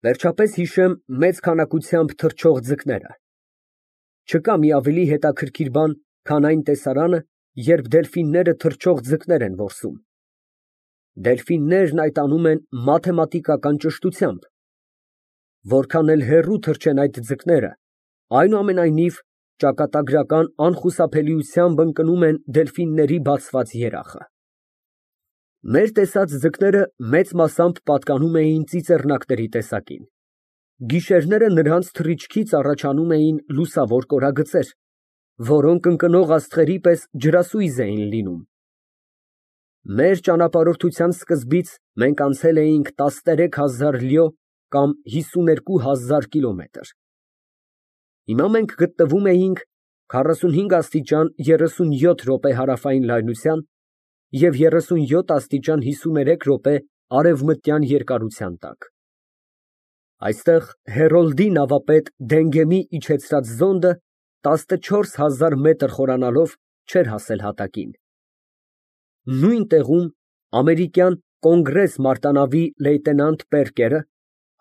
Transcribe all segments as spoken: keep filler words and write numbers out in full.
Վերջապես հիշեմ մեծ քանակությամբ թռչող ձկները. չկա մի ավելի հետաքրքիր բան, քան այն տեսարանը, երբ դելֆինները թռչող ձկներ են որսում. դելֆիններն այդ անում են մաթեմատիկական ճշտությամբ. որքան էլ հեռու թռչեն այդ ձկները, այնուամենայնիվ ճակատագրական անխուսափելիությամբ ընկնում են դելֆինների բացված երախը։ Մեր տեսած ձկները մեծ մասամբ պատկանում էին ծիծեռնակների տեսակին. գիշերները նրանց թռիչքից առաջանում էին լուսավոր կորագծեր, որոնք ընկնող աստղերի պես ջրասույզ էին լինում։ Մեր ճանապարհորդության սկզբից մենք անցել էինք տասներեք հազար լյո կամ հիսուներկու հազար կիլոմետր։ Հիմա մենք գտնվում էինք քառասունհինգ աստիճան երեսունյոթ րոպե հարավային լայնության և երեսունյոթ աստիճան հիսուներեք րոպե արևմտյան երկարության տակ։ Այստեղ Հերոլդի նավապետ Դենգեմի իջեցրած զոնդը տասնչորս հազար մետր խորանալով չէր հասել հատակին։ Նույն տեղում ամերիկյան Կոնգրես մարտանավի լեյտենանտ Պերկերը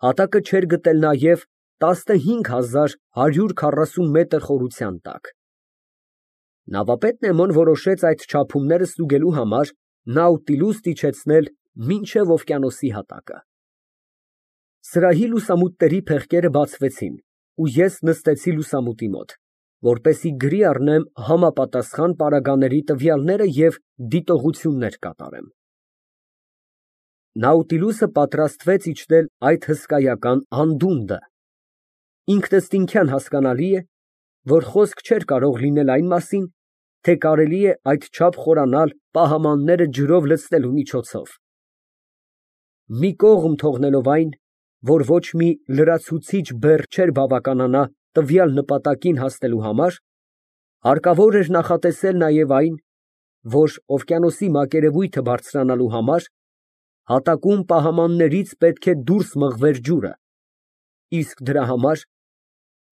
հատակը չէր գտել նաև տասնհինգ հազար հարյուր քառասուն մետր խորության տակ։ Նավապետ Նեմոն որոշեց այդ չափումները ստուգելու համար Նաուտիլուսն իջեցնել մինչև օվկիանոսի հատակը։ Սրահի լուսամուտների փեղկերը բացվեցին, ու ես նստեցի լուսամուտի մոտ, որպեսզի գրի առնեմ համապատասխան պարագաների տվյալները և դիտողություններ կատարեմ։ Նաուտիլուսը պատրաստվեց իջնել այդ հսկայական անդունդը։ Ինքնըստինքյան հասկանալի է, որ խոսք չէր կարող լինել այն մասին, թե կարելի է այդչափ խորանալ պահամանները ջրով լցնելու միջոցով։ Մի կողմ թողնելով այն, որ ոչ մի լրացուցիչ բեռ չէր բավականանա տվյալ նպատակին հասնելու համար, հարկավոր էր նախատեսել նաև այն, որ օվկիանոսի մակերևույթը բարձրանալու համար հատակում պահամաններից պետք է դուրս մղվեր ջուրը, իսկ դրա համար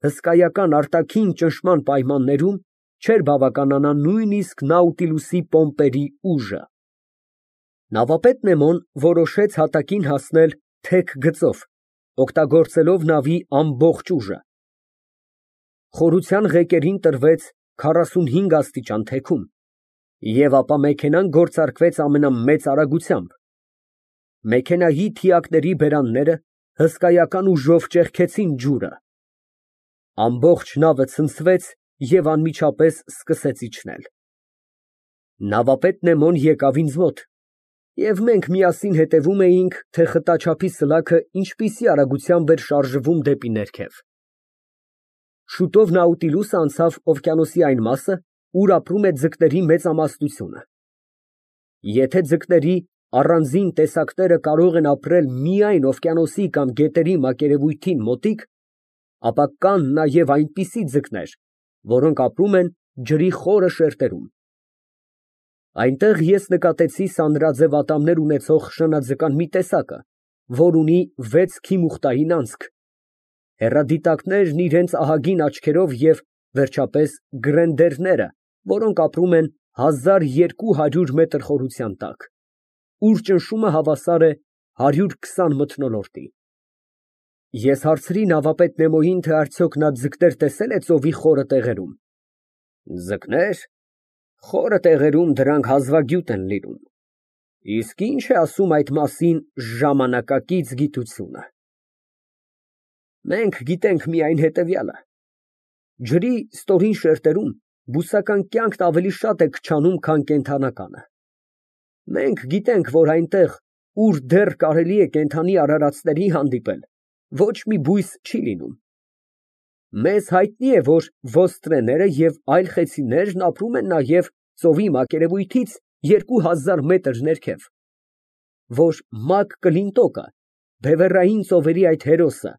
հսկայական արտաքին ճնշման պայմաններում չէր բավականանա նույնիսկ Նաուտիլուսի պոմպերի ուժը։ Նավապետ Նեմոն որոշեց հատակին հասնել թեք գծով, օգտագործելով նավի ամբողջ ուժը։ Խորության ղեկերին տրվեց քառասունհինգ աստիճան թեքում, և ապա մեքենան գործարկվեց ամենամեծ արագությամբ։ Մեքենայի թիակների բերանները հսկայական ուժով ճեղքեցին ջուրը։ Ամբողջ նավը ցնցվեց և անմիջապես սկսեց իջնել։ Նավապետ Նեմոն եկավ ինձ մոտ, և մենք միասին հետևում էինք, թե խտաչափի սլաքը ինչպիսի արագությամբ էր շարժվում դեպի ներքև։ Շուտով Նաուտիլուսը անցավ օվկիանոսի այն մասը, ուր ապրում է ձկների մեծամասնությունը։ Եթե ձկների առանձին տեսակները կարող են ապրել միայն օվկիանոսի կամ գետերի մակերևույթին մոտիկ, ապա կան նաև այնպիսի ձկներ, որոնք ապրում են ջրի խորը շերտերում։ Այնտեղ ես նկատեցի սանրաձև ատամներ ունեցող շնաձկան մի տեսակը, որ ունի վեց քիմուխտային անցք, հեռադիտակներն իրենց ահագին աչքերով և, վերջապես, գրենդերները, որոնք ապրում են հազար երկու հարյուր մետր խորության տակ, ուր ճնշումը հավասար է հարյուր քսան մթնոլորտի։ Ես հարցրի նավապետ Նեմոյին, թե արդյոք նա ձկներ տեսել է ծովի խորը տեղերում։ Ձկնե՞ր, խորը տեղերում դրանք հազվագյուտ են լինում։ Իսկ ի՞նչ է ասում այդ մասին ժամանակակից գիտությունը։ Մենք գիտենք միայն հետևյալը. ջրի ստորին շերտերում բուսական կյանքն ավելի շատ է քչանում, քան կենդանականը։ Մենք գիտենք, որ այնտեղ, ուր դեռ կարելի է կենդանի արարածների հանդիպել, ոչ մի բույս չի լինում։ Մեզ հայտնի է, որ ոստրեները և այլ խեցիներն ապրում են նաև ծովի մակերևույթից երկու հազար մետր ներքև, որ Մակ Կլինտոկը, բևեռային ծովերի այդ հերոսը,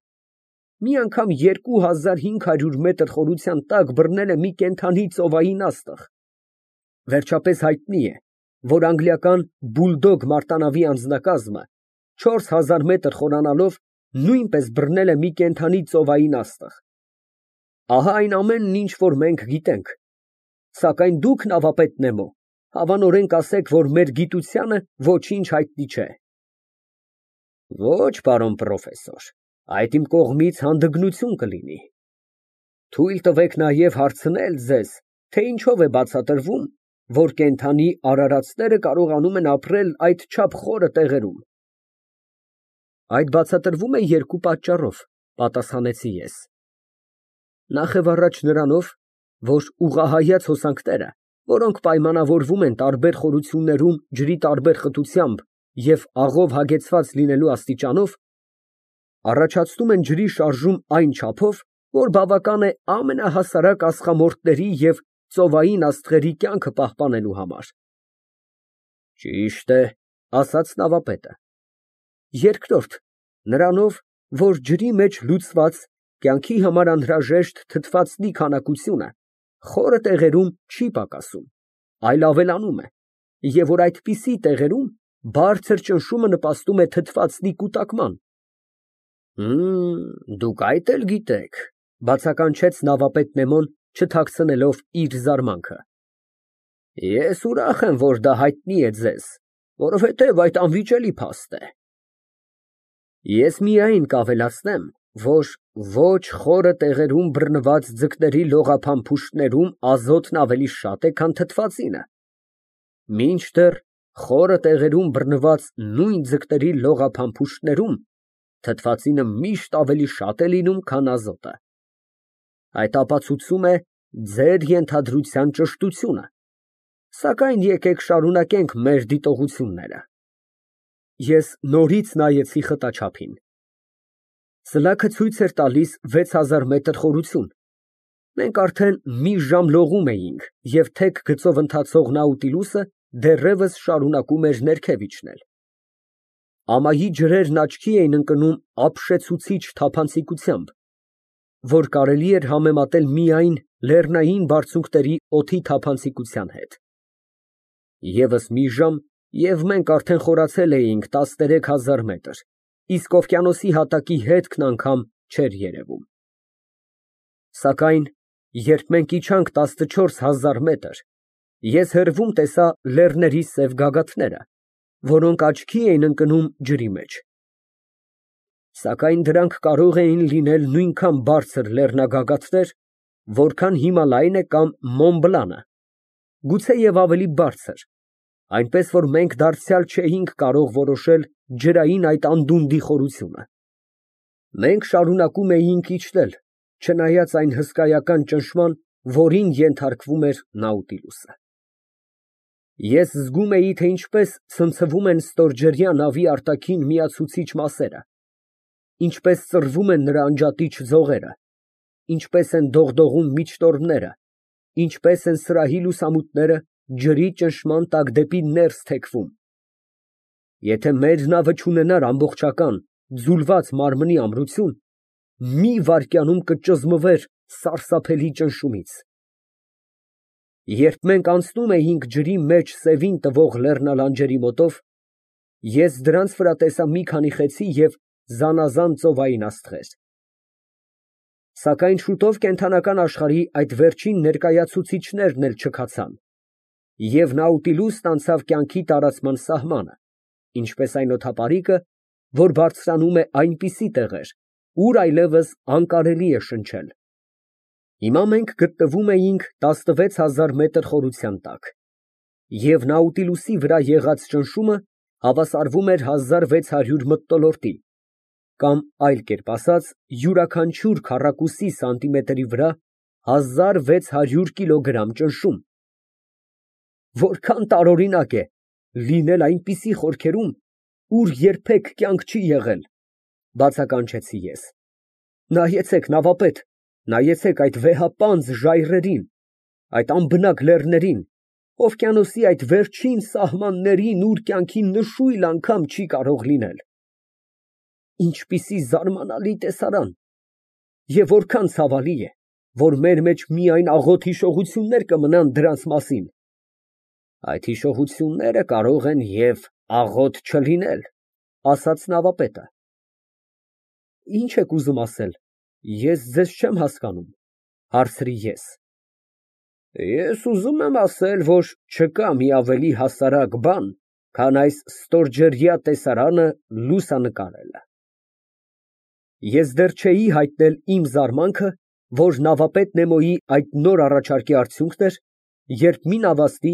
մի անգամ երկու հազար հինգ հարյուր մետր խորության տակ բռնել է մի կենդանի ծովային աստղ։ Վերջապես հայտնի է, որ անգլիական Բուլդոգ մարտանավի անձնակազմը չորս հազար մետր խորանալով նույնպես բռնել է մի կենդանի ծովային աստղ։ Ահա այն ամենն, ինչ որ մենք գիտենք, սակայն դուք, նավապետ Նեմո, հավանորեն կասեք, որ մեր գիտությանը ոչինչ հայտնի չէ։ Ոչ, պարոն պրոֆեսոր, այդ իմ կողմից հանդգնություն կլինի։ Թույլ տվեք նաև հարցնել ձեզ, թե ինչով է բացատրվում, որ կենդանի արարածները կարողանում են ապրել այդչափ խորը տեղերում։ Այդ բացատրվում է երկու պատճառով, պատասխանեցի ես. Նախևառաջ նրանով, որ ուղղահայաց հոսանքները, որոնք պայմանավորվում են տարբեր խորություններում ջրի տարբեր խտությամբ և աղով հագեցված լինելու աստիճանով, առաջացնում են ջրի շարժում այն չափով, որ բավական է ամենահասարակ ածխամորթների և ծովային աստղերի կյանքը պահպանելու համար։ Ճիշտ է, ասաց նավապետը։ Երկրորդ, նրանով, որ ջրի մեջ լուծված, կյանքի համար անհրաժեշտ թթվածնի քանակությունը խորը տեղերում չի պակասում, այլ ավելանում է, և որ այդպիսի տեղերում բարձր ճնշումը նպաստում է թթվածնի կուտակման։ Հըմ, դուք այդ էլ գիտեք, բացականչեց նավապետ Նեմոն, չթաքցնելով իր զարմանքը։ Ես ուրախ եմ, որ դա հայտնի է ձեզ, որովհետև այդ անվիճելի փաստ է։ Ես միայն կավելացնեմ, որ ոչ խորը տեղերում բռնված ձկների լողափամփուշտներում ազոտն ավելի շատ է, քան թթվածինը, մինչդեռ խորը տեղերում բռնված նույն ձկների լողափամփուշտներում թթվածինը միշտ ավելի շատ է լինում, քան ազոտը։ Այդ ապացուցում է ձեր ենթադրության ճշտությունը, սակայն եկեք շարունակենք մեր դիտողությունները։ Ես նորից նայեցի խտաչափին։ Սլաքը ցույց էր տալիս վեց հազար մետր խորություն։ Մենք արդեն մի ժամ լողում էինք, և թեք գծով ընթացող Նաուտիլուսը դեռևս շարունակում էր ներքև իջնել։ Ամայի ջրերն աչքի էին ընկնում ապշեցուցիչ թափանցիկությամբ, որ կարելի էր համեմատել միայն լեռնային բարձունքների օդի թափանցիկության հետ։ Եվս մի ժամ, և մենք արդեն խորացել էինք տասներեք հազար մետր, իսկ օվկիանոսի հատակի հետքն անգամ չէր երևում։ Սակայն երբ մենք իջանք տասնչորս հազար մետր, ես հեռվում տեսա լեռների սև գագաթները, որոնք աչքի էին ընկնում ջրի մեջ։ Սակայն դրանք կարող էին լինել նույնքան բարձր լեռնագագաթներ, որքան Հիմալայն է կամ Մոնբլանը, գուցեև ավելի բարձր, այնպես որ մենք դարձյալ չէինք կարող որոշել ջրային այդ անդունդի խորությունը։ Մենք շարունակում էինք իջնել, չնայած այն հսկայական ճնշման, որին ենթարկվում էր Նաուտիլուսը։ Ես զգում էի, թե ինչպես ցնցվում են ստորջրյա նավի արտաքին միացուցիչ մասերը, ինչպես ծռվում են նրա անջատիչ ձողերը, ինչպես են դողդողում միջտորմները, ինչպես են սրահի լուսամուտները ջրի ճնշման տակ դեպի ներս թեքվում։ Եթե մեր նավը չունենար ամբողջական, ձուլված մարմնի ամրություն, մի վայրկյանում կճզմվեր սարսափելի ճնշումից։ Երբ մենք անցնում էինք ջրի մեջ սևին տվող լեռնալանջերի մոտով, ես դրանց վրա տեսա մի քանի խեցի և զանազան ծովային աստղեր։ Սակայն շուտով կենդանական աշխարհի այդ վերջին ներկայացուցիչներն էլ չքացան, և Նաուտիլուսն անցավ կյանքի տարածման սահմանը, ինչպես այն օդապարիկը, որ բարձրանում է այնպիսի տեղեր, ուր այլևս անկարելի է շնչել։ Հիմա մենք գտնվում էինք տասնվեց հազար մետր խորության տակ, և Նաուտիլուսի վրա եղած ճնշումը հավասարվում էր հազար վեց հարյուր մթնոլորտի, կամ այլ կերպ ասած, յուրաքանչյուր քառակուսի սանտիմետրի վրա հազար վեց հարյուր կիլոգրամ ճնշում։ Որքան տարօրինակ է լինել այնպիսի խորքերում, ուր երբեք կյանք չի եղել, բացականչեցի ես։ Նայեցեք, նավապետ, նայեցեք այդ վեհապանծ ժայռերին, այդ անբնակ լեռներին, օվկիանոսի այդ վերջին սահմաններին, ուր կյանքի նշույլ անգամ չի կարող լինել։ Ինչպիսի զարմանալի տեսարան, և որքան ցավալի է, որ մեր մեջ միայն աղոտ հիշողություններ կմնան դրանց մասին։ Այդ հիշողությունները կարող են և աղոտ չլինել, ասաց նավապետը։ Ինչ եք ուզում ասել, ես ձեզ չեմ հասկանում, հարցրի ես։ Ես ուզում եմ ասել, որ չկա մի ավելի հասարակ բան, քան այս ստորջրյա տեսարանը լուսանկարելը։ Ես դեռ չէի հայտնել իմ զարմանքը, որ նավապետ Նեմոյի այդ նոր առաջարկի արդյունքն էր, երբ մի նավաստի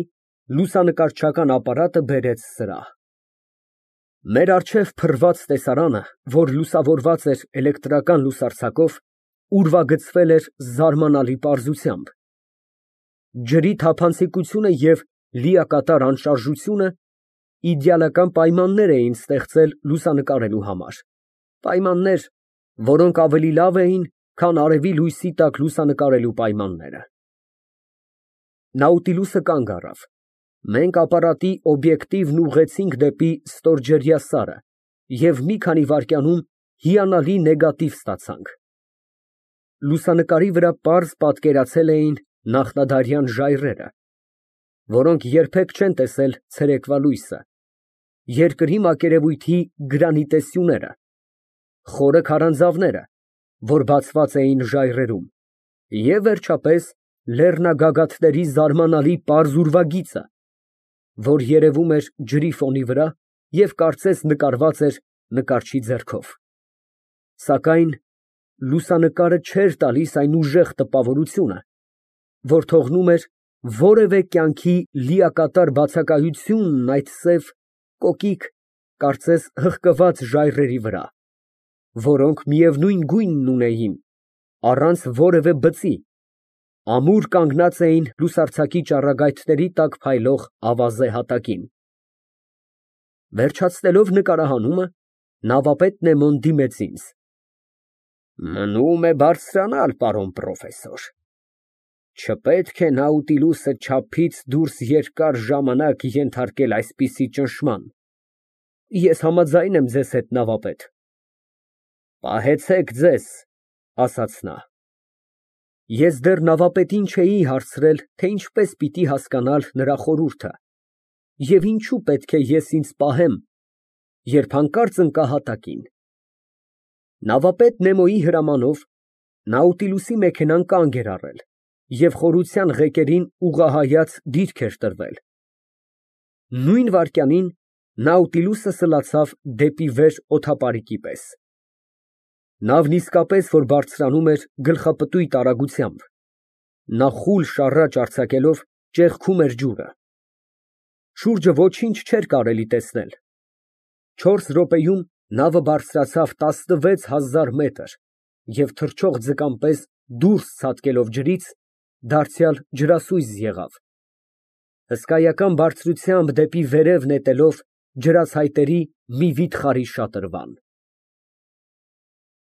լուսանկարչական ապարատը բերեց սրահ։ Մեր առջև փռված տեսարանը, որ լուսավորված էր էլեկտրական լուսարձակով, ուրվագծվել էր զարմանալի պարզությամբ։ Ջրի թափանցիկությունը և լիակատար անշարժությունը իդեալական պայմաններ էին ստեղծել լուսանկարելու համար, պայմաններ, որոնք ավելի լավ էին, քան արևի լույսի տակ լուսանկարելու պայմանները։ Նաուտիլուսը կանգ առավ։ Մենք ապարատի օբյեկտիվն ուղղեցինք դեպի ստորջրյա սարը և մի քանի վայրկյանում հիանալի նեգատիվ ստացանք։ Լուսանկարի վրա պարզ պատկերացել էին նախնադարյան ժայռերը, որոնք երբեք չեն տեսել ցերեկվա լույսը, երկրի մակերևույթի գրանիտե սյուները, խորը քարանձավները, որ բացված էին ժայռերում, և, վերջապես, լեռնագագաթների զարմանալի պարզ ուրվագիծը, որ երևում էր ջրի ֆոնի վրա և կարծես նկարված էր նկարչի ձեռքով, սակայն լուսանկարը չէր տալիս այն ուժեղ տպավորությունը, որ թողնում էր որևէ կյանքի լիակատար բացակայությունն այդ սև, կոկիկ, կարծես հղկված ժայռերի վրա, որոնք միևնույն գույնն ունեին, առանց որևէ բծի, ամուր կանգնած էին լուսարձակի ճառագայթների տակ փայլող ավազե հատակին։ Վերջացնելով նկարահանումը, նավապետ Նեմոն դիմեց ինձ. Մնում է բարձրանալ, պարոն պրոֆեսոր, չպետք է Նաուտիլուսը չափից դուրս երկար ժամանակ ենթարկել այսպիսի ճնշման։ Ես համաձայն եմ ձեզ հետ, նավապետ։ Պահեցեք ձեզ, ասաց նա։ Ես դեռ նավապետին չէի հարցրել, թե ինչպես պիտի հասկանալ նրա խորհուրդը, և ինչու պետք է ես ինձ պահեմ, երբ հանկարծ ընկա հատակին։ Նավապետ Նեմոյի հրամանով Նաուտիլուսի մեքենան կանգ էր առել, և խորության ղեկերին ուղղահայաց դիրք էր տրվել։ Նույն վայրկյանին Նաուտիլուսը սլացավ դեպի վեր օդապարիկի պես։ Նավն իսկապես որ բարձրանում էր գլխապտույտ արագությամբ, նա խուլ շառաչ արձակելով ճեղքում էր ջուրը։ Շուրջը ոչինչ չէր կարելի տեսնել։ Չորս րոպեում նավը բարձրացավ տասնվեց հազար մետր և թռչող ձկան պես դուրս ցատկելով ջրից, դարձյալ ջրասույզ եղավ, հսկայական բարձրությամբ դեպի վերև նետելով ջրացայտերի մի վիթխարի շատրվան։